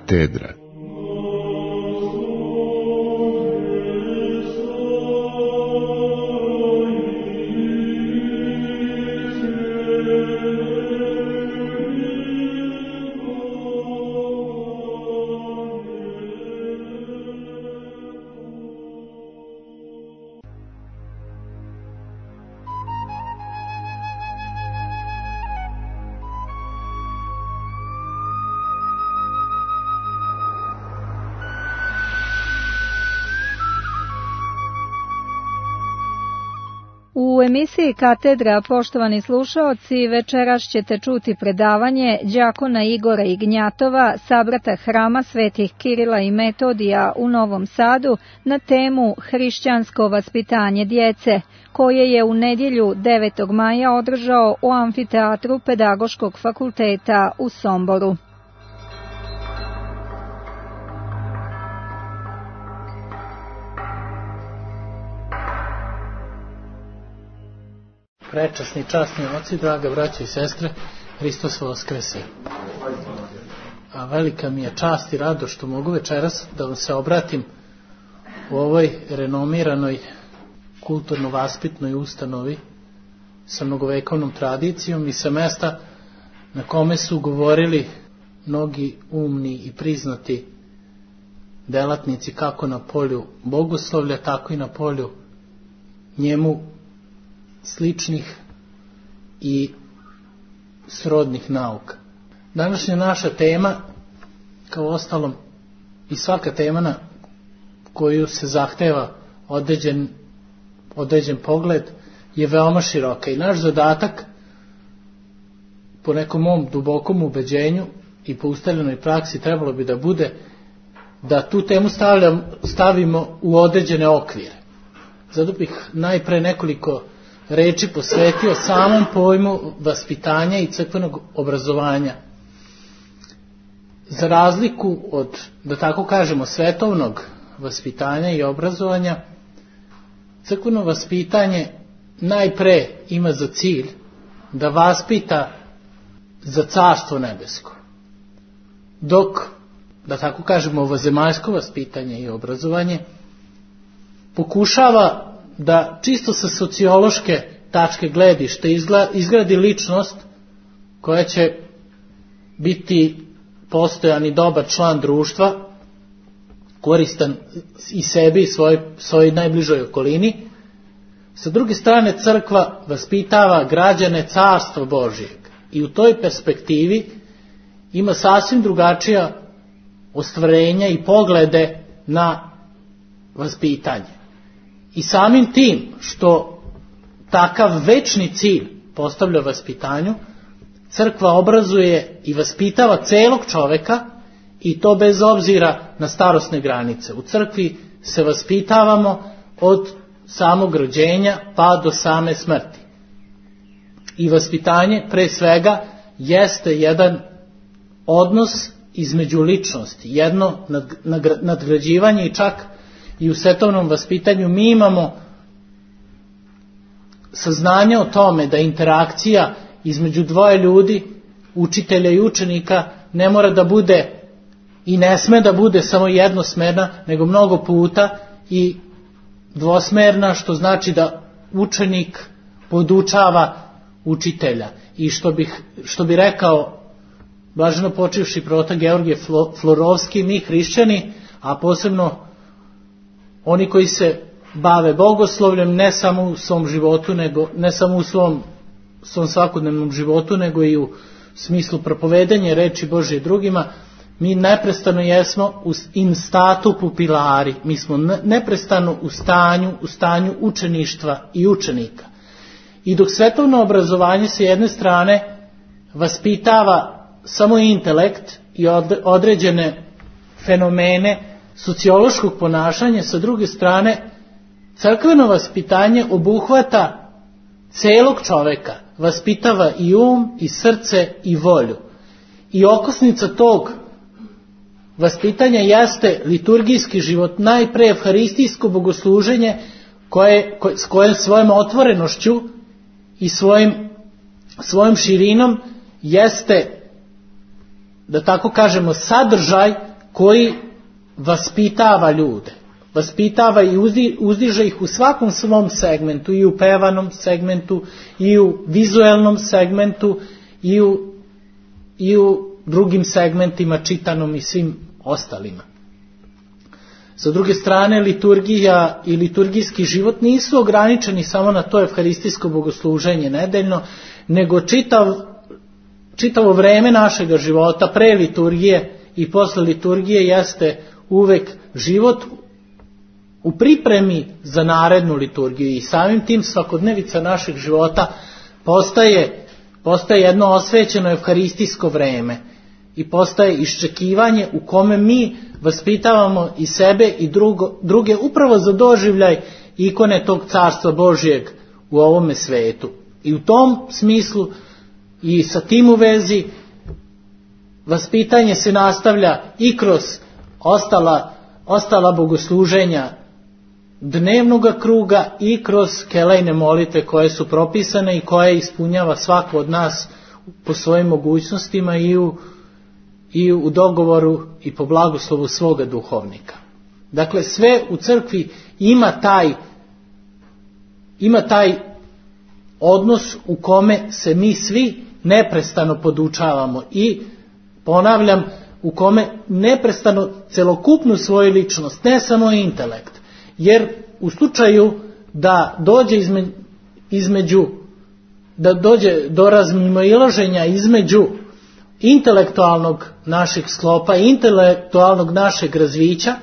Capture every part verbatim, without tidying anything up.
katedra. U emisiji Katedra, poštovani slušaoci, večeras ćete čuti predavanje đakona Igora Ignjatova, sabrata Hrama svetih Kirila i Metodija u Novom Sadu na temu Hrišćansko vaspitanje djece, koje je u nedjelju devetog maja održao u amfiteatru Pedagoškog fakulteta u Somboru. Prečasni, časni oci, draga braća i sestre, Hristos Voskrese. A velika mi je čast i rado što mogu večeras da vam se obratim u ovoj renomiranoj kulturno-vaspitnoj ustanovi sa mnogovekovnom tradicijom i sa mesta na kome su govorili mnogi umni i priznati delatnici kako na polju bogoslovlja, tako i na polju njemu sličnih i srodnih nauka. Današnja naša tema, kao ostalom i svaka tema na koju se zahteva određen, određen pogled, je veoma široka i naš zadatak, po nekom mom dubokom ubeđenju i po ustaljenoj praksi, trebalo bi da bude da tu temu stavljam, stavimo u određene okvire. Zato bih najpre nekoliko reči posvetio samom pojmu vaspitanja i crkvenog obrazovanja. Za razliku od, da tako kažemo, svetovnog vaspitanja i obrazovanja, crkveno vaspitanje najpre ima za cilj da vaspita za carstvo nebesko. Dok, da tako kažemo, ovozemaljsko vaspitanje i obrazovanje pokušava da čisto sa sociološke tačke gledišta izgradi ličnost koja će biti postojan i dobar član društva, koristan i sebi i svoj, svojoj najbližoj okolini. Sa druge strane, crkva vaspitava građane carstva Božijeg i u toj perspektivi ima sasvim drugačija ostvarenja i poglede na vaspitanje. I samim tim što takav večni cilj postavlja vaspitanju, crkva obrazuje i vaspitava celog čoveka, i to bez obzira na starosne granice. U crkvi se vaspitavamo od samog rođenja pa do same smrti. I vaspitanje pre svega jeste jedan odnos između ličnosti, jedno nadgrađivanje, i čak i u svetovnom vaspitanju mi imamo saznanje o tome da interakcija između dvoje ljudi, učitelja i učenika, ne mora da bude i ne sme da bude samo jednosmerna, nego mnogo puta i dvosmerna, što znači da učenik podučava učitelja. I što bih, što bi rekao blaženo počivši prota Georgije Florovski, mi hrišćani, a posebno oni koji se bave bogoslovljem, ne samo u svom životu, nego ne samo u svom, svom svakodnevnom životu, nego i u smislu propovedanja reči Božje drugima, mi neprestano jesmo in statu pupilari, mi smo neprestano u stanju, u stanju učeništva i učenika. I dok svetovno obrazovanje s jedne strane vaspitava samo intelekt i određene fenomene sociološkog ponašanja, sa druge strane crkveno vaspitanje obuhvata celog čoveka, vaspitava i um, i srce, i volju. I okosnica tog vaspitanja jeste liturgijski život, najpre evharistijsko bogosluženje koje, koje, s kojom svojom otvorenošću i svojim, svojom širinom jeste, da tako kažemo, sadržaj koji vaspitava ljude. Vaspitava i uzdiže ih u svakom svom segmentu, i u pevanom segmentu, i u vizuelnom segmentu, i u, i u drugim segmentima, čitanom i svim ostalima. Sa druge strane, liturgija i liturgijski život nisu ograničeni samo na to evharistijsko bogosluženje nedeljno, nego čitav, čitavo vreme našega života, pre liturgije i posle liturgije, jeste uvek život u pripremi za narednu liturgiju, i samim tim svakodnevica našeg života postaje, postaje jedno osvećeno evharistijsko vreme i postaje iščekivanje u kome mi vaspitavamo i sebe i drugo, druge upravo za doživljaj ikone tog carstva Božijeg u ovome svetu. I u tom smislu i sa tim u vezi vaspitanje se nastavlja i kroz ostala, ostala bogosluženja dnevnog kruga i kroz kelejne molitve koje su propisane i koje ispunjava svako od nas po svojim mogućnostima i u, i u dogovoru i po blagoslovu svoga duhovnika. Dakle, sve u crkvi ima taj, ima taj odnos u kome se mi svi neprestano podučavamo i, ponavljam, u kome neprestano celokupnu svoju ličnost, ne samo intelekt, jer u slučaju da dođe između, između da dođe do razmimoilaženja između intelektualnog našeg sklopa i intelektualnog našeg razvića,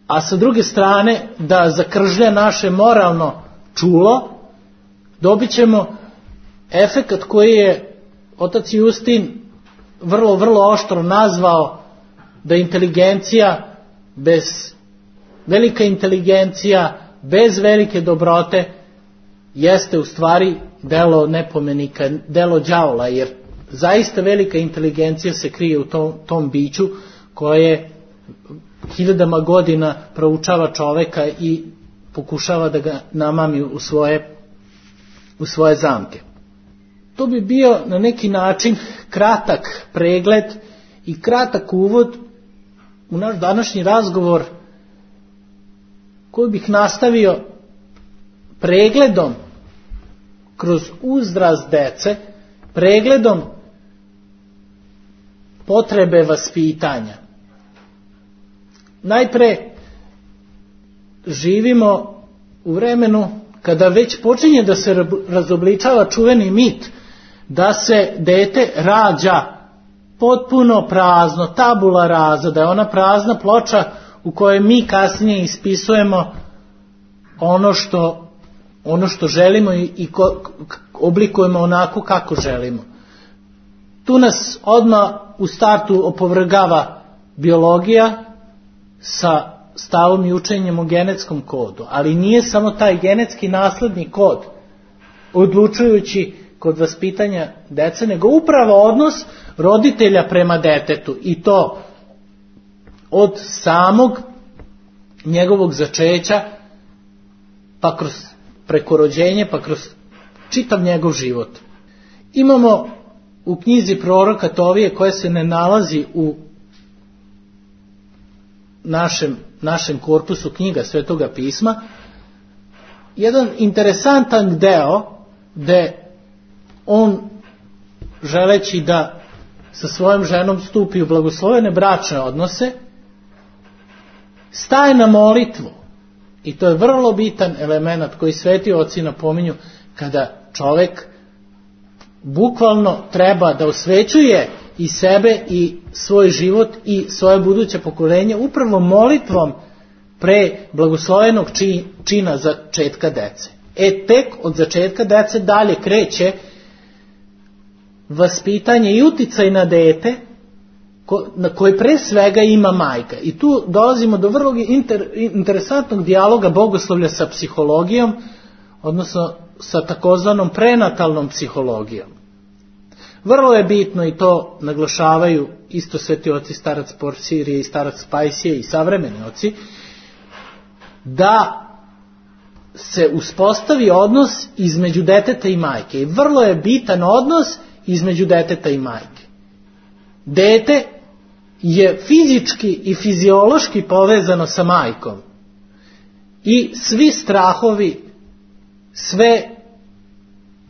a sa druge strane da zakržlja naše moralno čulo, dobit ćemo efekat koji je otac Justin vrlo, vrlo oštro nazvao da inteligencija bez, velika inteligencija bez velike dobrote jeste u stvari delo nepomenika, delo đavola, jer zaista velika inteligencija se krije u tom, tom biću koje hiljadama godina proučava čoveka i pokušava da ga namami u svoje, u svoje zamke. To bi bio na neki način kratak pregled i kratak uvod u naš današnji razgovor, koji bih nastavio pregledom kroz uzrast dece, pregledom potrebe vaspitanja. Najpre živimo u vremenu kada već počinje da se razobličava čuveni mit da se dete rađa potpuno prazno, tabula rasa, da je ona prazna ploča u kojoj mi kasnije ispisujemo ono što, ono što želimo i, i ko, oblikujemo onako kako želimo. Tu nas odmah u startu opovrgava biologija sa stavom i učenjem o genetskom kodu, ali nije samo taj genetski nasledni kod odlučujući kod vaspitanja dece, nego upravo odnos roditelja prema detetu, i to od samog njegovog začeća pa kroz preko rođenje, pa kroz čitav njegov život. Imamo u knjizi proroka Tovije, koja se ne nalazi u našem, našem korpusu knjiga Svetoga pisma, jedan interesantan deo gde on, želeći da sa svojom ženom stupi u blagoslovene bračne odnose, staje na molitvu. I to je vrlo bitan element koji sveti oci napominju, kada čovek bukvalno treba da osvećuje i sebe i svoj život i svoje buduće pokolenje upravo molitvom pre blagoslovenog čina začetka dece. E tek od začetka dece dalje kreće vaspitanje i uticaj na dete na koji pre svega ima majka. I tu dolazimo do vrlo inter, interesantnog dijaloga bogoslovlja sa psihologijom, odnosno sa takozvanom prenatalnom psihologijom. Vrlo je bitno, i to naglašavaju isto sveti oci starac Porfirije i starac Spajsije i savremeni oci, da se uspostavi odnos između deteta i majke. I vrlo je bitan odnos između deteta i majke. dete je fizički i fiziološki povezano sa majkom. I svi strahovi, sve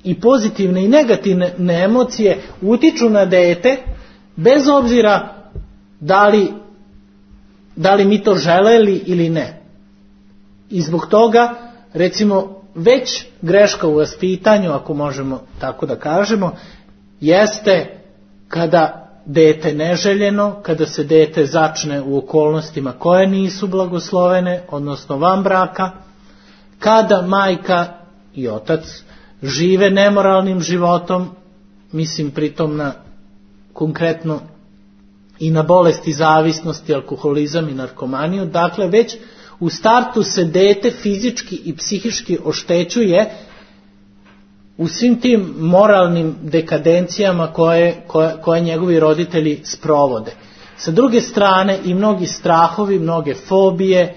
i pozitivne i negativne emocije utiču na dete, bez obzira da li, da li mi to želeli ili ne. I zbog toga, recimo, već greška u vaspitanju, ako možemo tako da kažemo, jeste kada dete neželjeno, kada se dete začne u okolnostima koje nisu blagoslovene, odnosno van braka, kada majka i otac žive nemoralnim životom, mislim pritom na konkretno i na bolesti zavisnosti, alkoholizam i narkomaniju, dakle već u startu se dete fizički i psihički oštećuje u svim tim moralnim dekadencijama koje, koje, koje njegovi roditelji sprovode. Sa druge strane i mnogi strahovi, mnoge fobije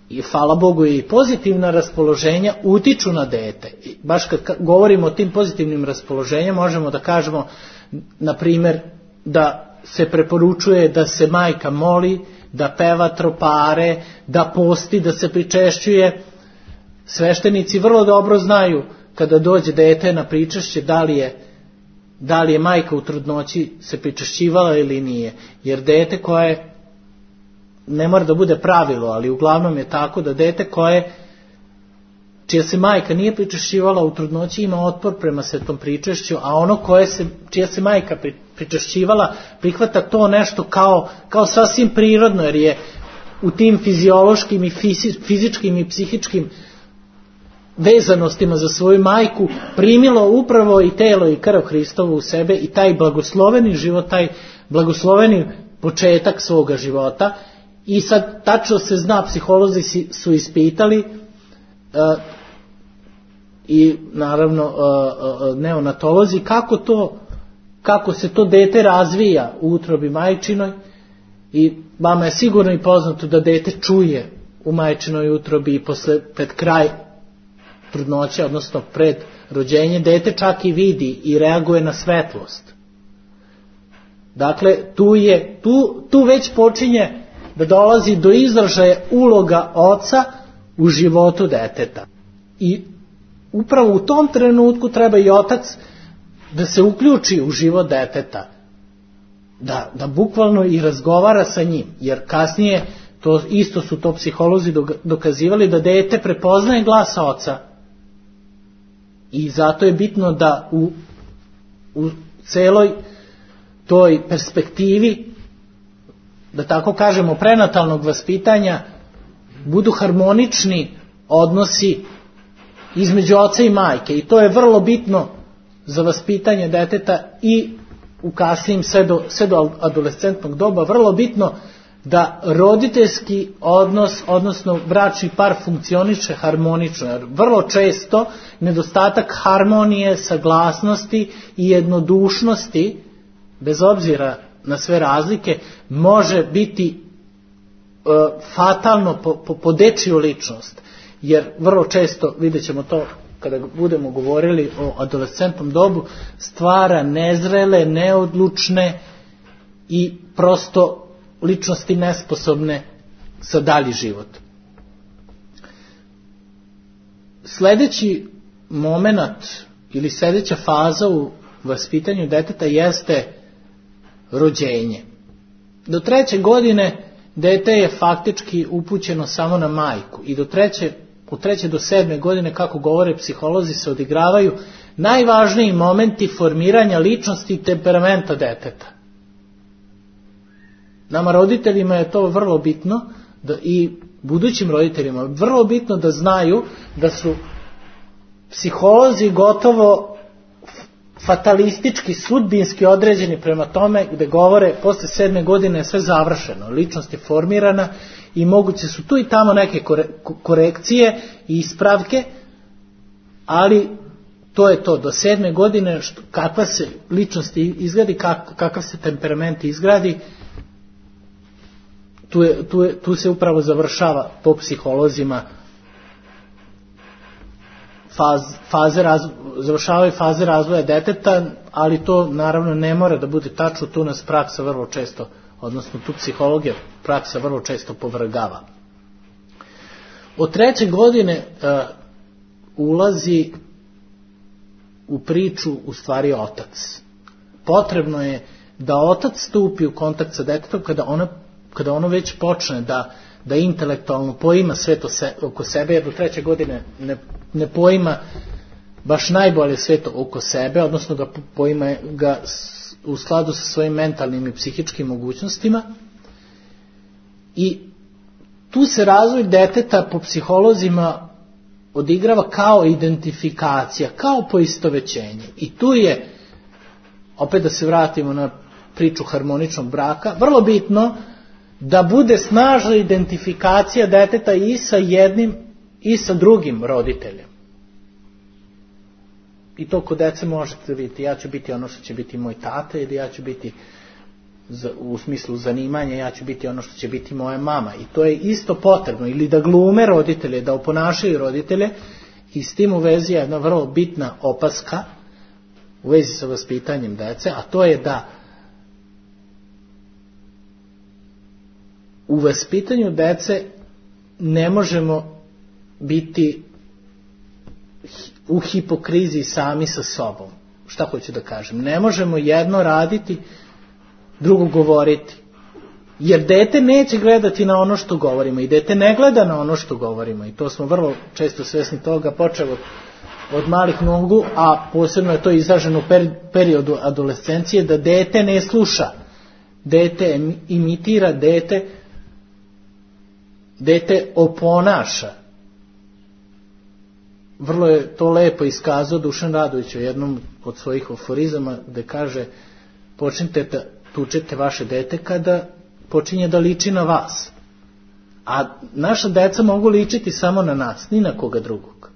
i hvala Bogu i pozitivna raspoloženja utiču na dete. I baš kad govorimo o tim pozitivnim raspoloženjima možemo da kažemo na primjer da se preporučuje da se majka moli, da peva tropare, da posti, da se pričešćuje. Sveštenici vrlo dobro znaju kada dođe dete na pričešće da li je, da li je majka u trudnoći se pričešćivala ili nije. Jer dete koje, ne mora da bude pravilo, ali uglavnom je tako da dete koje, čija se majka nije pričešćivala u trudnoći ima otpor prema svetom pričešću, a ono koje se, čija se majka pričešćivala prihvata to nešto kao, kao sasvim prirodno, jer je u tim fiziološkim i fizičkim i psihičkim vezanostima za svoju majku primilo upravo i telo i krv Hristovu u sebe i taj blagosloveni život, taj blagosloveni početak svoga života. I sad tačno se zna, psiholozi su ispitali uh, i naravno uh, uh, neonatolozi kako to, kako se to dete razvija u utrobi majčinoj, i vama je sigurno i poznato da dete čuje u majčinoj utrobi i posle, pred kraj trudnoće, odnosno pred rođenje, dete čak i vidi i reaguje na svetlost. Dakle, tu, je, tu, tu već počinje da dolazi do izražaja uloga oca u životu deteta. I upravo u tom trenutku treba i otac da se uključi u život deteta, da, da bukvalno i razgovara sa njim, jer kasnije, to isto su to psiholozi dokazivali, da dete prepoznaje glas oca. I zato je bitno da u, u celoj toj perspektivi, da tako kažemo, prenatalnog vaspitanja, budu harmonični odnosi između oca i majke. I to je vrlo bitno za vaspitanje deteta i u kasnijim sve do, sve do adolescentnog doba, vrlo bitno da roditeljski odnos, odnosno bračni par funkcioniše harmonično, jer vrlo često nedostatak harmonije, saglasnosti i jednodušnosti, bez obzira na sve razlike, može biti e, fatalno po, po, po dečiju ličnost, jer vrlo često, vidjet ćemo to kada budemo govorili o adolescentnom dobu, stvara nezrele, neodlučne i prosto ličnosti nesposobne za dalji život. Sljedeći moment ili sljedeća faza u vaspitanju deteta jeste rođenje. Do treće godine dete je faktički upućeno samo na majku i do treće, od treće do sedme godine, kako govore psiholozi, se odigravaju najvažniji momenti formiranja ličnosti i temperamenta deteta. Nama roditeljima je to vrlo bitno, da i budućim roditeljima vrlo bitno da znaju da su psiholozi gotovo fatalistički, sudbinski određeni prema tome, gde govore posle sedme godine je sve završeno, ličnost je formirana i moguće su tu i tamo neke korekcije i ispravke, ali to je to, do sedme godine što, kakva se ličnost izgradi, kak, kakav se temperament izgradi, tu, je, tu, je, tu se upravo završava po psiholozima faz, faze raz, završavaju faze razvoja deteta, ali to naravno ne mora da bude tačno, tu nas praksa vrlo često, odnosno tu psihologija praksa vrlo često povrgava. Od treće godine uh, ulazi u priču u stvari otac. Potrebno je da otac stupi u kontakt sa detetom kada ono, kada ono već počne da, da intelektualno poima sve to se, oko sebe, jer do treće godine ne, ne poima baš najbolje sve to oko sebe, odnosno ga poima ga u skladu sa svojim mentalnim i psihičkim mogućnostima. I tu se razvoj deteta po psiholozima odigrava kao identifikacija, kao poistovećenje. I tu je, opet da se vratimo na priču harmoničnog braka, vrlo bitno da bude snažna identifikacija deteta i sa jednim i sa drugim roditeljem. I to kod dece možete vidjeti, ja ću biti ono što će biti moj tata, ili ja ću biti u smislu zanimanja, ja ću biti ono što će biti moja mama. I to je isto potrebno, ili da glume roditelje, da oponašaju roditelje, i s tim u vezi je jedna vrlo bitna opaska u vezi sa vaspitanjem dece, a to je da u vaspitanju dece ne možemo biti u hipokriziji sami sa sobom. Šta hoću da kažem? Ne možemo jedno raditi, drugo govoriti. Jer dete neće gledati na ono što govorimo i dete ne gleda na ono što govorimo. I to smo vrlo često svesni toga, počeo od, od malih nogu, a posebno je to izraženo u periodu adolescencije, da dete ne sluša. Dete imitira, dete, dete oponaša. Vrlo je to lepo iskazao Dušan Radović u jednom od svojih aforizama, gde kaže: počnite da tučete vaše dete kada počinje da liči na vas. A naša deca mogu ličiti samo na nas, ni na koga drugog.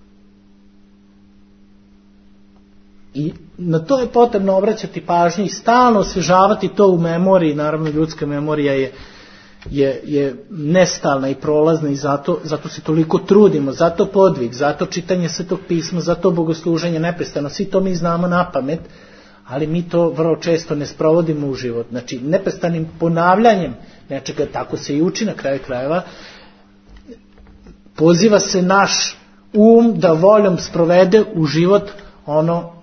I na to je potrebno obraćati pažnju i stalno osvežavati to u memoriji. Naravno, ljudska memorija je je, je nestalna i prolazna i zato, zato se toliko trudimo, zato podvig, zato čitanje Svetog pisma, zato bogosluženje neprestano, svi to mi znamo na pamet, ali mi to vrlo često ne sprovodimo u život. Znači, neprestanim ponavljanjem nečega, tako se i uči na kraju krajeva, poziva se naš um da voljom sprovede u život ono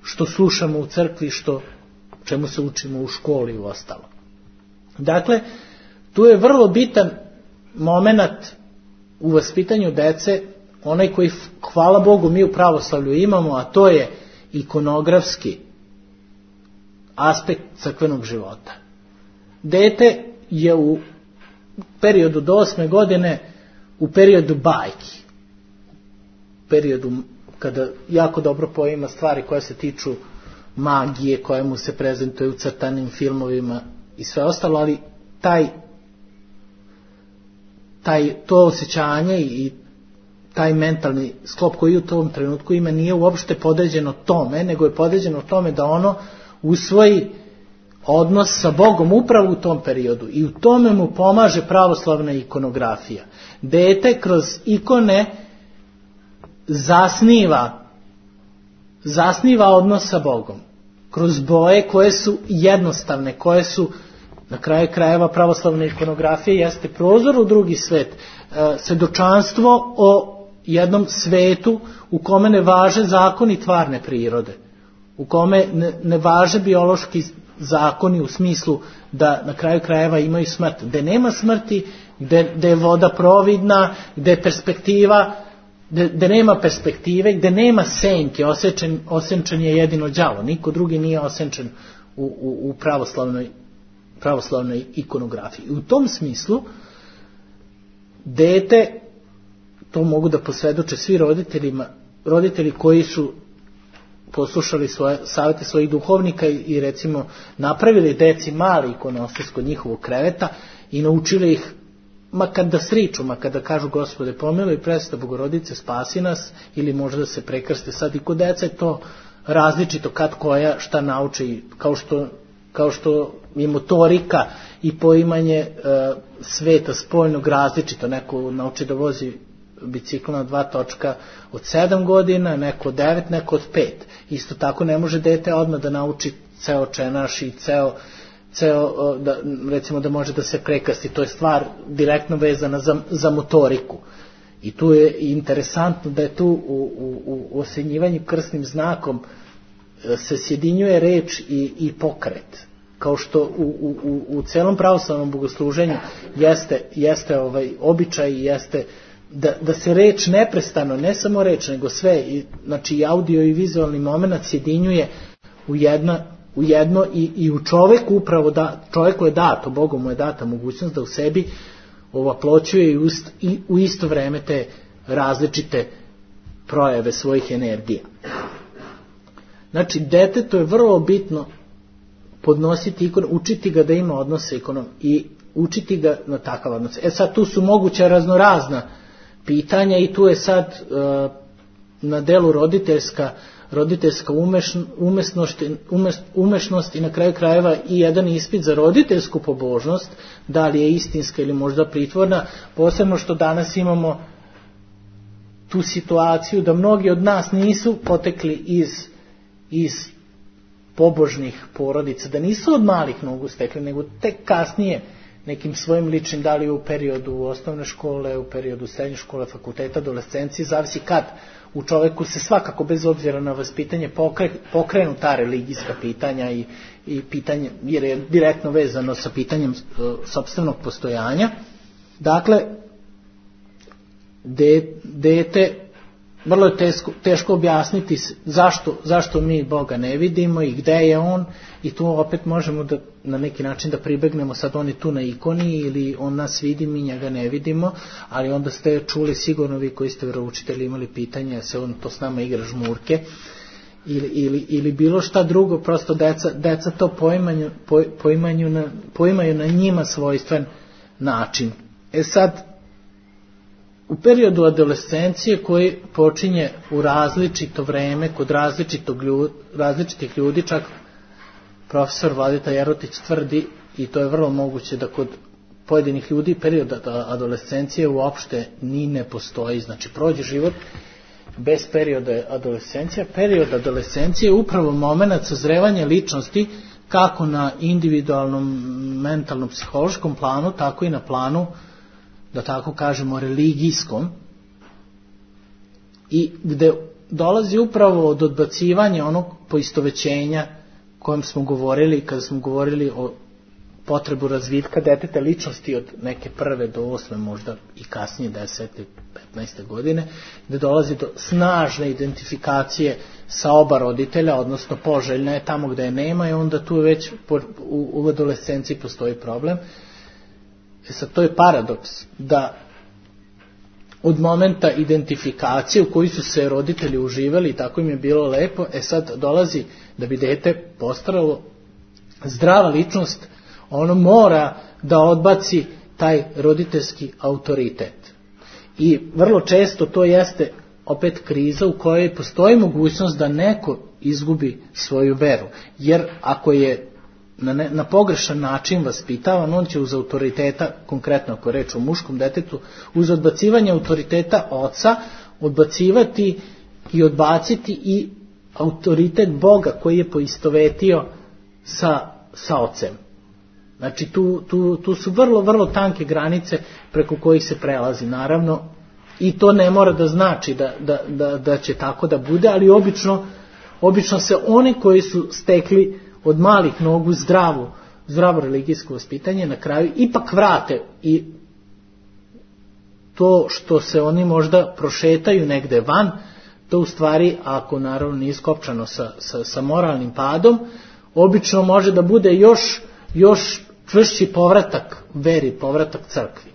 što slušamo u crkvi, što čemu se učimo u školi i u ostalo. Dakle, tu je vrlo bitan moment u vaspitanju dece, onaj koji, hvala Bogu, mi u pravoslavlju imamo, a to je ikonografski aspekt crkvenog života. Dete je u periodu do osme godine u periodu bajki, u periodu kada jako dobro poima stvari koje se tiču magije, koje mu se prezentuje u crtanim filmovima i sve ostalo, ali taj taj, to osjećanje i taj mentalni sklop koji u tom trenutku ima nije uopšte podređeno tome, nego je podređeno tome da ono usvoji odnos sa Bogom upravo u tom periodu i u tome mu pomaže pravoslavna ikonografija. Dete kroz ikone zasniva zasniva odnos sa Bogom kroz boje koje su jednostavne, koje su na kraju krajeva pravoslavna ikonografija jeste prozor u drugi svet, svedočanstvo o jednom svetu u kome ne važe zakoni tvarne prirode, u kome ne, ne važe biološki zakoni u smislu da na kraju krajeva imaju smrt, gde nema smrti, gde, gde je voda providna, gde je perspektiva, gde, gde nema perspektive, gde nema senke, osečen, osenčen je jedino đavo, niko drugi nije osenčen u, u, u pravoslavnoj pravoslavnoj ikonografiji. I u tom smislu dete, to mogu da posvedoče svi roditeljima, roditelji koji su poslušali svoje savjete svojih duhovnika i, i recimo napravili deci mali ikonostas kod njihovog kreveta i naučili ih makar da sriču, makar da kažu Gospode pomiluj, presveta Bogorodice spasi nas, ili možda da se prekrste. Sad i kod deca je to različito kad koja šta nauči, kao što kao što je motorika i poimanje e, sveta spoljnog različito. Neko nauči da vozi bicikl na dva točka od sedam godina, neko od devet, neko od pet. Isto tako ne može dete odmah da nauči ceo čenaš i ceo, ceo da, recimo da može da se prekasti. To je stvar direktno vezana za, za motoriku. I tu je interesantno da je tu u, u, u osenjivanju krstnim znakom se sjedinjuje reč i, i pokret. Kao što u, u, u celom pravoslavnom bogosluženju jeste, jeste ovaj običaj, jeste da, da se reč neprestano, ne samo reč, nego sve, i, znači i audio i vizualni moment sjedinjuje u, jedna, u jedno i, i u čoveku upravo da, čoveku je dato, Bogom mu je data mogućnost da u sebi ovaploćuje i, ust, i u isto vreme te različite projave svojih energija. Znači, detetu je vrlo bitno podnositi ikon, učiti ga da ima odnose ikonom i učiti ga na takav odnos. E sad tu su moguća raznorazna pitanja i tu je sad uh, na delu roditeljska, roditeljska umeš, umesnost, umest, umešnost i na kraju krajeva i jedan ispit za roditeljsku pobožnost, da li je istinska ili možda pritvorna, posebno što danas imamo tu situaciju da mnogi od nas nisu potekli iz, iz pobožnih porodica, da nisu od malih nogu stekli, nego tek kasnije nekim svojim ličnim, da li u periodu osnovne škole, u periodu srednje škole, fakulteta, adolescencije, zavisi kad u čoveku se svakako bez obzira na vaspitanje pokre, pokrenu ta religijska pitanja i, i pitanje, jer je direktno vezano sa pitanjem uh, sopstvenog postojanja. Dakle, de, dete, vrlo je teško, teško objasniti zašto, zašto mi Boga ne vidimo i gde je on, i tu opet možemo da na neki način da pribegnemo, sad on je tu na ikoni ili on nas vidi, mi njega ne vidimo, ali onda ste čuli sigurno vi koji ste veroučitelji imali pitanje, se on to s nama igra žmurke ili, ili, ili bilo šta drugo, prosto deca, deca to poimanju, po, poimanju na, poimaju na njima svojstven način. E sad, u periodu adolescencije koji počinje u različito vreme, kod različitog ljudi, različitih ljudi, čak profesor Vladeta Jerotić tvrdi, i to je vrlo moguće, da kod pojedinih ljudi period adolescencije uopšte ni ne postoji, znači prođe život bez perioda adolescencije. Period adolescencije je upravo moment sazrevanja ličnosti kako na individualnom, mentalnom, psihološkom planu, tako i na planu, da tako kažemo, religijskom, i gde dolazi upravo od odbacivanja onog poistovećenja kojem smo govorili kada smo govorili o potrebu razvitka deteta ličnosti od neke prve do osme, možda i kasnije desete, petnaeste godine, gde dolazi do snažne identifikacije sa oba roditelja, odnosno poželjna je tamo gde je nema, i onda tu već u, u adolescenciji postoji problem. E sad, to je paradoks, da od momenta identifikacije u kojoj su se roditelji uživali i tako im je bilo lepo, e sad dolazi da bi dete postaralo zdrava ličnost, ono mora da odbaci taj roditeljski autoritet. I vrlo često to jeste opet kriza u kojoj postoji mogućnost da neko izgubi svoju veru, jer ako je Na, ne, na pogrešan način vaspitavan, on će uz autoriteta, konkretno ako je reč o muškom detetu, uz odbacivanje autoriteta oca, odbacivati i odbaciti i autoritet Boga koji je poistovetio sa, sa ocem. Znači tu, tu, tu su vrlo, vrlo tanke granice preko kojih se prelazi, naravno, i to ne mora da znači da, da, da, da će tako da bude, ali obično, obično se oni koji su stekli od malih nogu zdravu, zdravo religijsko vaspitanje, na kraju ipak vrate, i to što se oni možda prošetaju negde van, to u stvari, ako naravno nije skopčano sa, sa, sa moralnim padom, obično može da bude još, još čvršći povratak veri, povratak crkvi.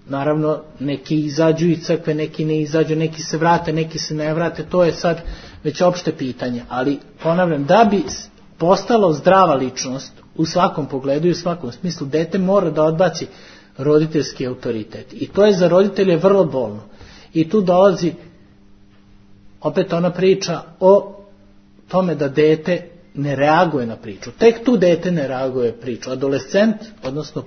Naravno, neki izađu iz crkve, neki ne izađu, neki se vrate, neki se ne vrate, to je sad već opšte pitanje, ali ponavljam, da bi postalo zdrava ličnost u svakom pogledu i u svakom smislu, dete mora da odbaci roditeljski autoritet. I to je za roditelje vrlo bolno. I tu dolazi opet ona priča o tome da dete ne reaguje na priču. Tek tu dete ne reaguje priču. Adolescent, odnosno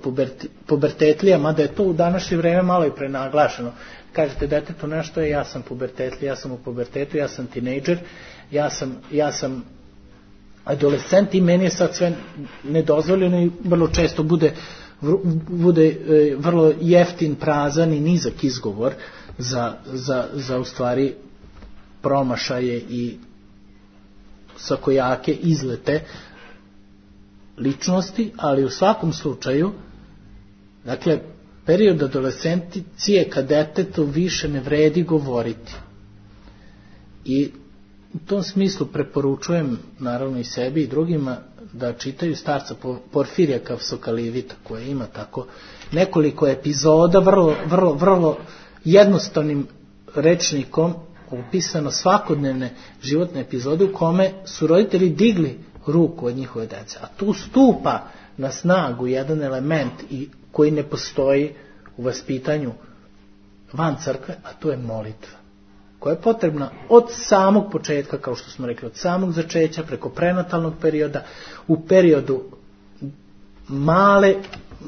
pubertetlija, mada je to u današnje vreme malo i prenaglašeno. Kažete detetu nešto je, ja sam pubertetlija, ja sam u pubertetu, ja sam tinejdžer, ja sam, ja sam adolescent i meni je sad sve nedozvoljeno i vrlo često bude, bude vrlo jeftin, prazan i nizak izgovor za, za, za u stvari promašaje i svakojake izlete ličnosti, ali u svakom slučaju, dakle, period adolescencije kad detetu više ne vredi govoriti. I u tom smislu preporučujem naravno i sebi i drugima da čitaju starca Porfirija Kavsokalivita, koja ima tako nekoliko epizoda vrlo, vrlo, vrlo jednostavnim rečnikom upisano svakodnevne životne epizode u kome su roditelji digli ruku od njihove dece. A tu stupa na snagu jedan element i koji ne postoji u vaspitanju van crkve, a to je molitva, koja je potrebna od samog početka, kao što smo rekli, od samog začeća, preko prenatalnog perioda, u periodu male,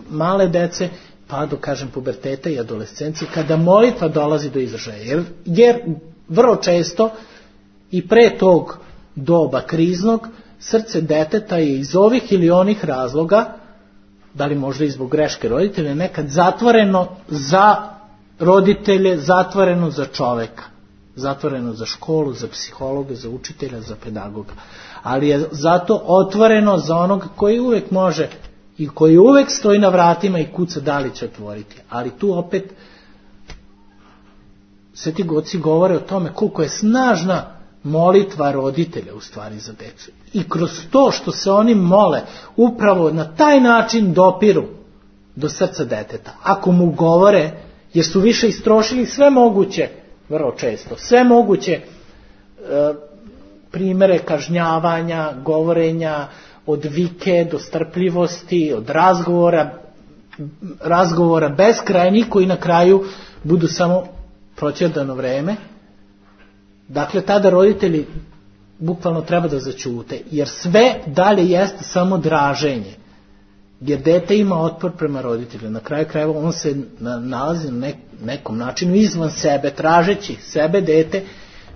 male dece, pa do, kažem, puberteta i adolescencije, kada molitva dolazi do izražaja. Jer, jer vrlo često i pre tog doba kriznog, srce deteta je iz ovih ili onih razloga, da li možda i zbog greške roditelja, nekad zatvoreno za roditelje, zatvoreno za čoveka, zatvoreno za školu, za psihologa, za učitelja, za pedagoga. Ali je zato otvoreno za onog koji uvek može i koji uvek stoji na vratima i kuca da li će otvoriti. Ali tu opet sveti oci govore o tome koliko je snažna molitva roditelja u stvari za decu. I kroz to što se oni mole, upravo na taj način dopiru do srca deteta. Ako mu govore, jer su više istrošili sve moguće, vrlo često, sve moguće e, primere kažnjavanja, govorenja, od vike do strpljivosti, od razgovora, razgovora beskrajnih koji na kraju budu samo proćerdano vreme. Dakle, tada roditelji bukvalno treba da zaćute, jer sve dalje jeste samo draženje. Jer dete ima otpor prema roditelju. Na kraju krajeva on se nalazi na nekom načinu izvan sebe, tražeći sebe, dete,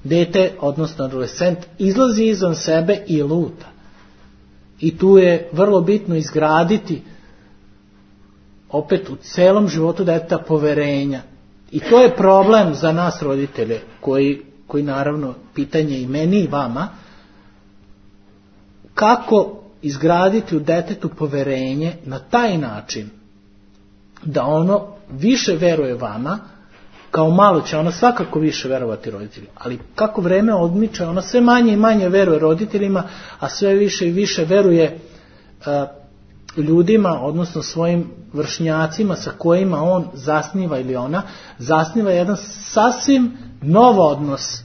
dete, odnosno adolescent, izlazi izvan sebe i luta. I tu je vrlo bitno izgraditi opet u celom životu deteta poverenja. I to je problem za nas roditelje, koji, koji naravno pitanje i meni i vama, kako izgraditi u detetu poverenje na taj način da ono više veruje vama, kao malo će ono svakako više verovati roditeljima, ali kako vreme odmiče, ono sve manje i manje veruje roditeljima, a sve više i više veruje uh, ljudima, odnosno svojim vršnjacima sa kojima on zasniva ili ona, zasniva jedan sasvim nov odnos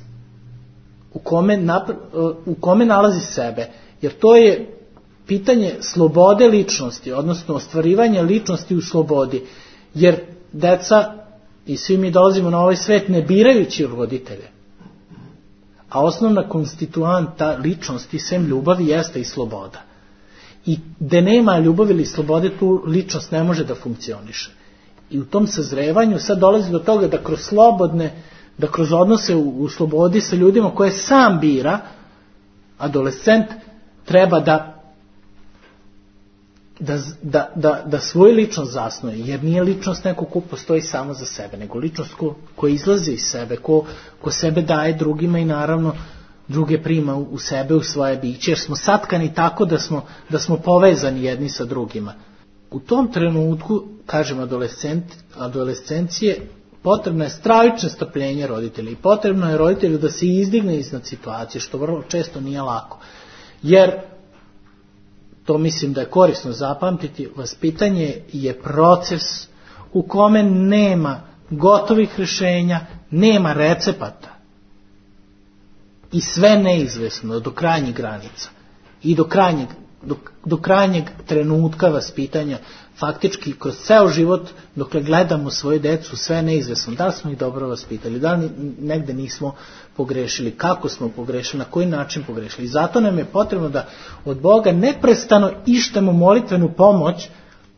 u kome, napr- uh, u kome nalazi sebe, jer to je pitanje slobode ličnosti, odnosno ostvarivanja ličnosti u slobodi, jer deca i svi mi dolazimo na ovaj svet ne birajući roditelje. A osnovna konstituanta ličnosti, sem ljubavi, jeste i sloboda. I gde nema ljubavi ili slobode, tu ličnost ne može da funkcioniše. I u tom sazrevanju sad dolazi do toga da kroz slobodne, da kroz odnose u, u slobodi sa ljudima koje sam bira, adolescent treba da Da, da, da, da svoju ličnost zasnuje, jer nije ličnost neko ko postoji samo za sebe, nego ličnost ko, ko izlazi iz sebe, ko, ko sebe daje drugima i naravno druge prima u, u sebe, u svoje biće, jer smo satkani tako da smo, da smo povezani jedni sa drugima. U tom trenutku, kažem, adolescent, adolescencije, potrebno je stravično strpljenje roditelja i potrebno je roditelju da se izdigne iznad situacije, što vrlo često nije lako. Jer to mislim da je korisno zapamtiti, vaspitanje je proces u kome nema gotovih rješenja, nema recepata i sve neizvesno do krajnjih granica i do krajnjeg do, do krajnjeg trenutka vaspitanja, faktički kroz ceo život, dokle gledamo svoju decu, sve je neizvesno. Da li smo ih dobro vaspitali, da li negde nismo pogrešili, kako smo pogrešili, na koji način pogrešili. I zato nam je potrebno da od Boga neprestano ištemo molitvenu pomoć,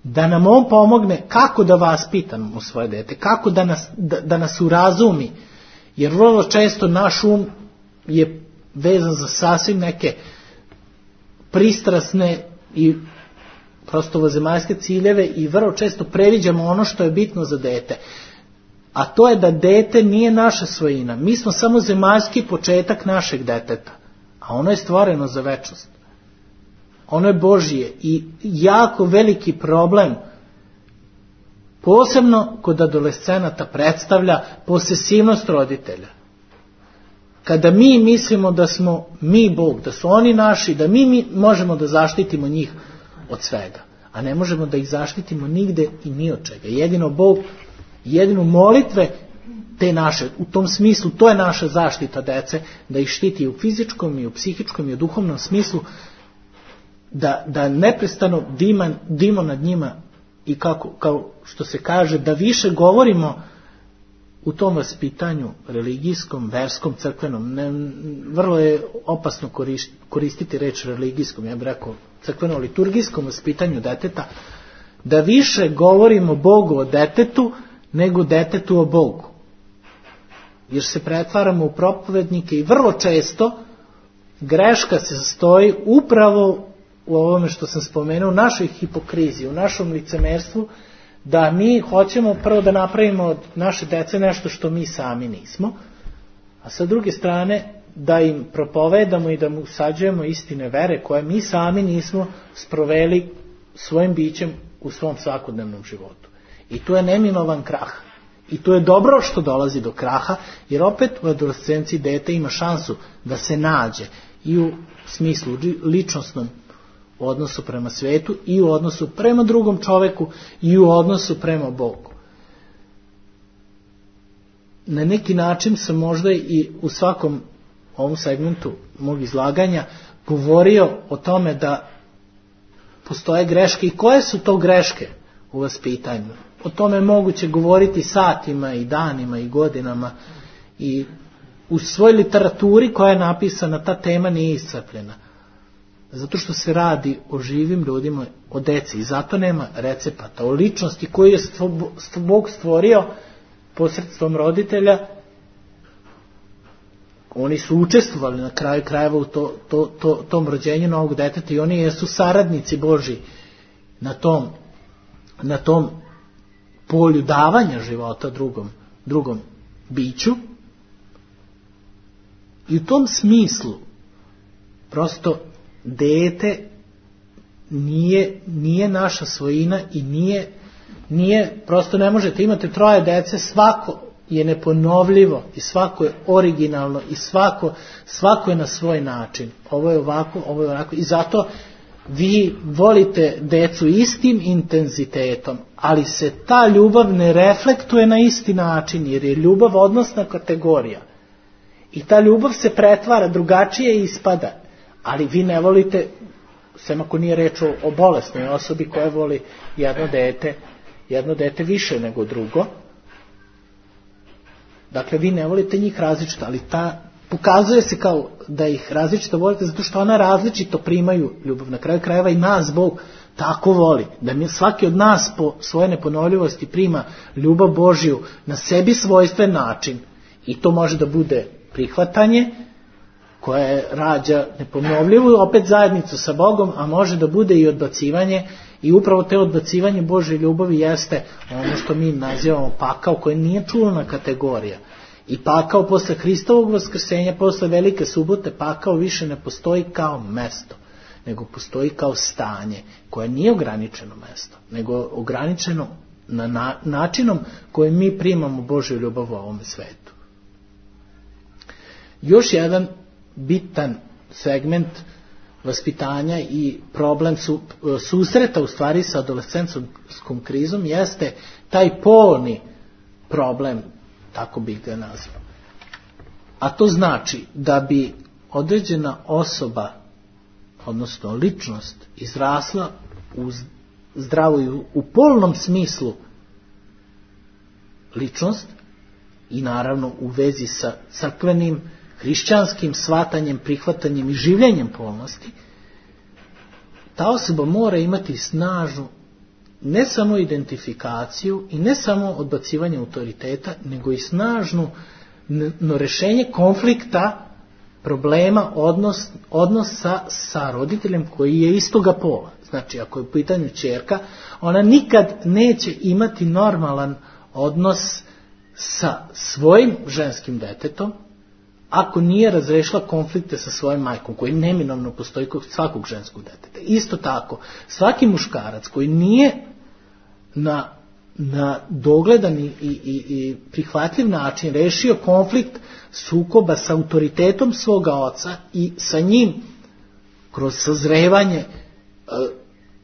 da nam On pomogne kako da vaspitamo svoje dete, kako da nas, da, da nas urazumi, jer vrlo često naš um je vezan za sasvim neke pristrasne i prosto ovozemaljske ciljeve i vrlo često previđamo ono što je bitno za dete. A to je da dete nije naša svojina. Mi smo samo zemaljski početak našeg deteta, a ono je stvoreno za večnost. Ono je Božije i jako veliki problem, posebno kod adolescenata, predstavlja posesivnost roditelja. Kada mi mislimo da smo mi Bog, da su oni naši, da mi, mi možemo da zaštitimo njih od svega, a ne možemo da ih zaštitimo nigde i ni od čega. Jedino Bog, jedino molitve te naše, u tom smislu, to je naša zaštita dece, da ih štiti i u fizičkom, i u psihičkom, i u duhovnom smislu, da, da neprestano dima, dimo nad njima i kako, kao što se kaže, da više govorimo u tom vaspitanju religijskom, verskom, crkvenom. Ne, vrlo je opasno koristiti reč religijskom, ja bih rekao crkveno-liturgijskom vaspitanju deteta, da više govorimo Bogu o detetu nego detetu o Bogu. Jer se pretvaramo u propovednike i vrlo često greška se sastoji upravo u ovome što sam spomenuo, u našoj hipokriziji, u našom licemerstvu, da mi hoćemo prvo da napravimo od naše dece nešto što mi sami nismo, a sa druge strane da im propovedamo i da mu usađujemo istine vere koje mi sami nismo sproveli svojim bićem u svom svakodnevnom životu. I tu je neminovan krah. I tu je dobro što dolazi do kraha, jer opet u adolescenciji dete ima šansu da se nađe i u smislu ličnostnom u odnosu prema svetu i u odnosu prema drugom čoveku i u odnosu prema Bogu. Na neki način sam možda i u svakom ovom segmentu mog izlaganja govorio o tome da postoje greške i koje su to greške u vaspitanju. O tome je moguće govoriti satima i danima i godinama i u svoj literaturi koja je napisana ta tema nije iscrpljena. Zato što se radi o živim ljudima, o deci i zato nema recepata, o ličnosti koju je Bog stvorio posredstvom roditelja. Oni su učestvovali na kraju krajeva u to, to, to, tom rođenju novog deteta i oni jesu saradnici Božji na tom, na tom polju davanja života drugom, drugom biću. I u tom smislu prosto dete nije, nije naša svojina i nije, nije, prosto ne možete, imate troje dece, svako je neponovljivo i svako je originalno i svako, svako je na svoj način. Ovo je ovako, ovo je onako i zato vi volite decu istim intenzitetom, ali se ta ljubav ne reflektuje na isti način, jer je ljubav odnosna kategorija. I ta ljubav se pretvara, drugačije ispada. Ali vi ne volite, sem ako nije reč o, o bolesnoj osobi koja voli jedno dete, jedno dete više nego drugo. Dakle, vi ne volite njih različito, ali ta, pokazuje se kao da ih različito volite, zato što ona različito primaju ljubav. Na kraju krajeva i nas Bog tako voli, da mi svaki od nas po svoje neponovljivosti prima ljubav Božju na sebi svojstven način. I to može da bude prihvatanje, koje rađa neponovljivu opet zajednicu sa Bogom, a može da bude i odbacivanje, i upravo te odbacivanje Božje ljubavi jeste ono što mi nazivamo pakao, koje nije čulna kategorija. I pakao posle Hristovog vaskrsenja, posle Velike subote, pakao više ne postoji kao mesto, nego postoji kao stanje, koje nije ograničeno mesto, nego ograničeno na, na načinom kojim mi primamo Božju ljubav u ovome svetu. Još jedan bitan segment vaspitanja i problem su, susreta u stvari sa adolescentskom krizom jeste taj polni problem, tako bih ga nazvao. A to znači da bi određena osoba odnosno ličnost, izrasla u zdravu, u polnom smislu ličnost i naravno u vezi sa crkvenim, hrišćanskim shvatanjem, prihvatanjem i življenjem polnosti, ta osoba mora imati snažnu ne samo identifikaciju i ne samo odbacivanje autoriteta, nego i snažno rešenje konflikta, problema, odnos, odnosa sa roditeljem koji je istoga pola. Znači, ako je u pitanju ćerka, ona nikad neće imati normalan odnos sa svojim ženskim detetom, ako nije razrešila konflikte sa svojom majkom, koji neminovno postoji kod svakog ženskog deteta. Isto tako, svaki muškarac koji nije na, na dogledan i, i, i prihvatljiv način rešio konflikt sukoba sa autoritetom svoga oca i sa njim kroz sazrevanje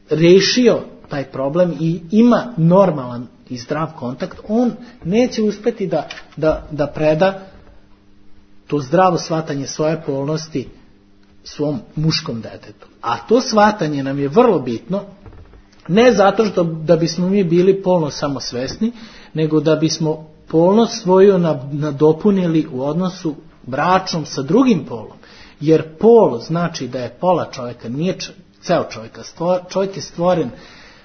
rešio taj problem i ima normalan i zdrav kontakt, on neće uspeti da, da, da preda to zdravo shvatanje svoje polnosti svom muškom detetu. A to shvatanje nam je vrlo bitno, ne zato što da bismo mi bili polno samosvesni, nego da bismo polnost svoju nadopunili u odnosu bračnom sa drugim polom. Jer pol znači da je pola čovjeka, nije ceo čovjeka. Čovjek je stvoren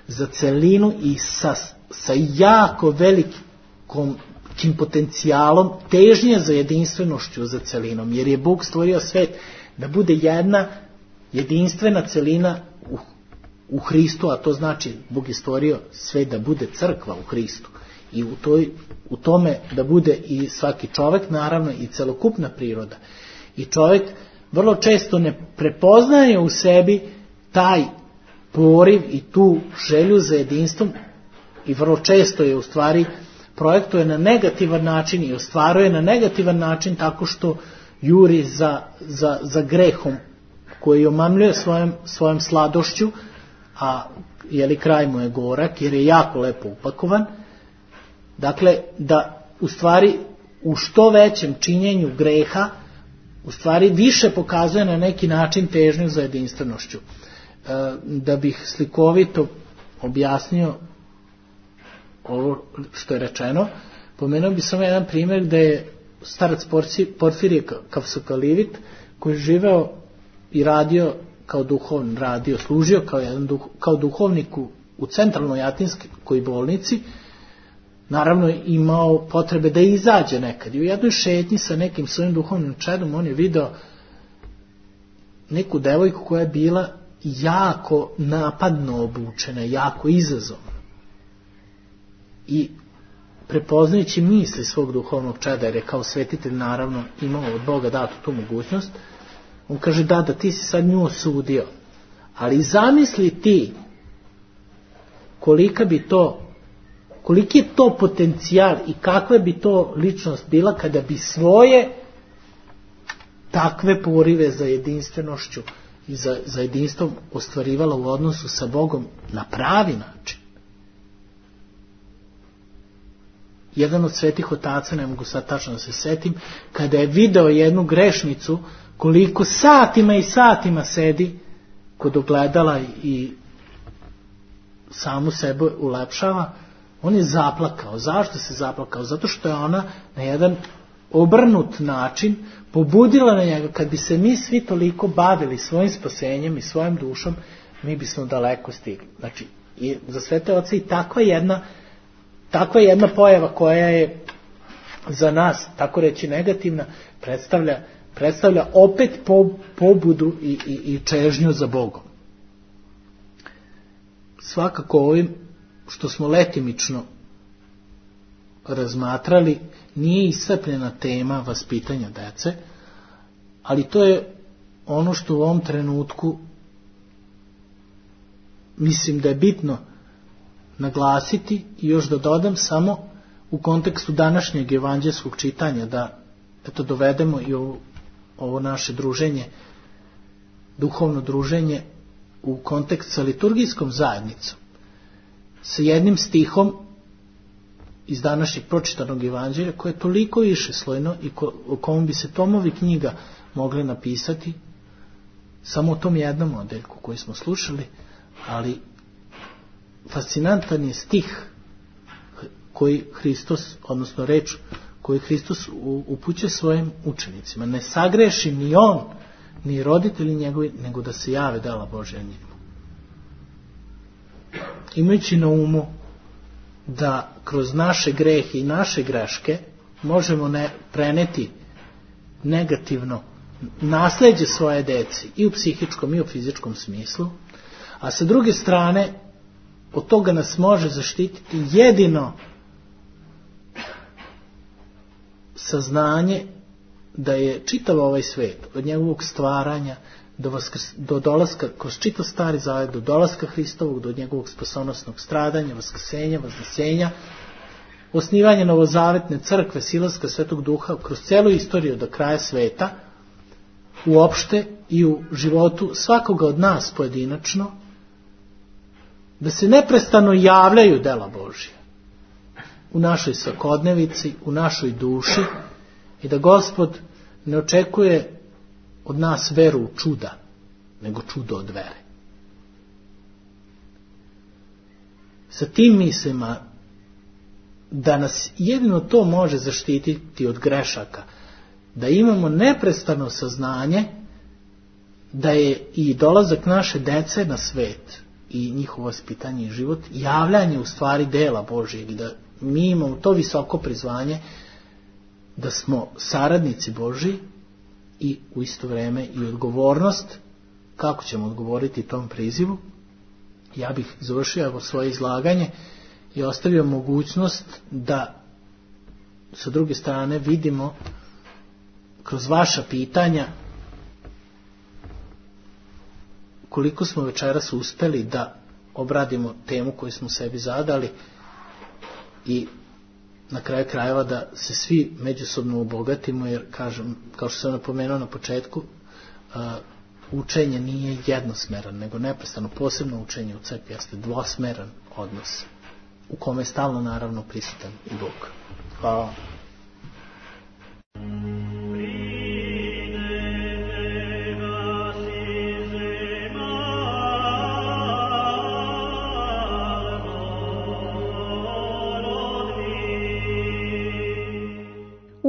za celinu i sa, sa jako velikom potencijalom težnje za jedinstvenošću za celinom. Jer je Bog stvorio svet da bude jedna jedinstvena celina u, u Hristu, a to znači Bog je stvorio svet da bude crkva u Hristu. I u, toj, u tome da bude i svaki čovjek, naravno i celokupna priroda. I čovjek vrlo često ne prepoznaje u sebi taj poriv i tu želju za jedinstvom i vrlo često je u stvari projektuje na negativan način i ostvaruje na negativan način tako što juri za, za, za grehom koji omamljuje svojom, svojom sladošću, a jeli kraj mu je gorak jer je jako lepo upakovan. Dakle, da u stvari u što većem činjenju greha u stvari više pokazuje na neki način težnju za jedinstvenošću. Da bih slikovito objasnio ovo što je rečeno, pomenuo bi samo jedan primjer gde je starac Porfirije Kavsokalivit, koji je živeo i radio kao duhovni, radio, služio kao, jedan duh, kao duhovnik u, u centralnoj atinskoj bolnici, naravno imao potrebe da izađe nekad. I u jednoj šetnji sa nekim svojim duhovnim čedom on je video neku devojku koja je bila jako napadno obučena, jako izazovna. I prepoznajući misli svog duhovnog čeda, jer je kao svetitelj naravno imao od Boga datu tu mogućnost, on kaže da, da ti si sad nju osudio, ali zamisli ti kolika bi to, koliki je to potencijal i kakva bi to ličnost bila kada bi svoje takve porive za jedinstvenošću i za, za jedinstvom ostvarivala u odnosu sa Bogom na pravi način. Jedan od svetih otaca, ne mogu sad tačno da se setim, kada je video jednu grešnicu koliko satima i satima sedi kod ogledala i samu sebe ulepšava, on je zaplakao. Zašto se zaplakao? Zato što je ona na jedan obrnut način pobudila na njega. Kad bi se mi svi toliko bavili svojim spasenjem i svojom dušom, mi bismo daleko stigli. Znači, i za svete oce i takva jedna takva jedna pojava koja je za nas, tako reći, negativna, predstavlja, predstavlja opet pobudu i, i, i čežnju za Bogom. Svakako ovim što smo letimično razmatrali nije iscrpljena tema vaspitanja dece, ali to je ono što u ovom trenutku mislim da je bitno naglasiti i još da dodam samo u kontekstu današnjeg evanđelskog čitanja, da eto dovedemo i ovo, ovo naše druženje, duhovno druženje u kontekst sa liturgijskom zajednicom, sa jednim stihom iz današnjeg pročitanog evanđelja koje je toliko višeslojno i ko, o kom bi se tomovi knjiga mogli napisati, samo u tom jednom odeljku koji smo slušali, ali fascinantan je stih koji Hristos, odnosno reč koju Hristos upućuje svojim učenicima. Ne sagreši ni on, ni roditelji njegovi, nego da se jave dela Božja njemu. Imajući na umu da kroz naše grehe i naše greške možemo ne preneti negativno nasleđe svoje deci i u psihičkom i u fizičkom smislu, a sa druge strane od toga nas može zaštititi jedino saznanje da je čitav ovaj svet od njegovog stvaranja do, vaskrs, do dolaska kroz čitav Stari Zavet, do dolaska Hristovog, do njegovog spasonosnog stradanja, vaskrsenja, vaznesenja, osnivanje novozavetne crkve, silaska Svetog Duha kroz celu istoriju do kraja sveta, uopšte i u životu svakoga od nas pojedinačno, da se neprestano javljaju dela Božja u našoj svakodnevici, u našoj duši, i da Gospod ne očekuje od nas veru u čuda, nego čudo od vere. Sa tim mislima da nas jedino to može zaštititi od grešaka, da imamo neprestano saznanje da je i dolazak naše dece na svet i njihovo vaspitanje i život javljanje u stvari dela Božjeg, i da mi imamo to visoko prizvanje da smo saradnici Božji i u isto vrijeme i odgovornost kako ćemo odgovoriti tom prizivu. Ja bih završio svoje izlaganje i ostavio mogućnost da sa druge strane vidimo kroz vaša pitanja koliko smo večeras uspeli da obradimo temu koju smo sebi zadali i na kraju krajeva da se svi međusobno obogatimo, jer kažem, kao što sam napomenuo na početku, uh, učenje nije jednosmeran, nego neprestano, posebno učenje u crkvi jeste dvosmeran odnos u kome je stalno naravno prisutan i Bog. Hvala.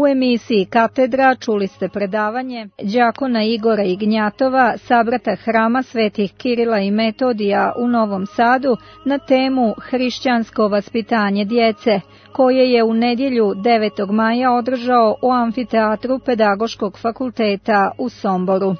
U emisiji Katedra čuli ste predavanje đakona Igora Ignjatova, sabrata Hrama Svetih Kirila i Metodija u Novom Sadu na temu Hrišćansko vaspitanje djece, koje je u nedjelju devetog maja održao u amfiteatru Pedagoškog fakulteta u Somboru.